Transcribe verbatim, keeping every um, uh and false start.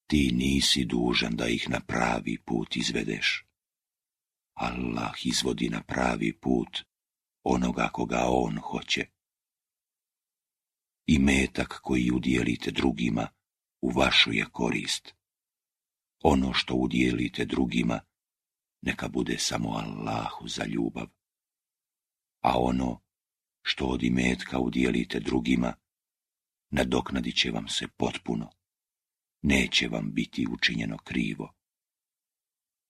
ti nisi dužan da ih na pravi put izvedeš. Allah izvodi na pravi put onoga koga on hoće. I metak koji udjelite drugima u vašu je korist. Ono što udjelite drugima neka bude samo Allahu za ljubav. A ono što od imetka udjelite drugima nadoknadit će vam se potpuno. Neće vam biti učinjeno krivo.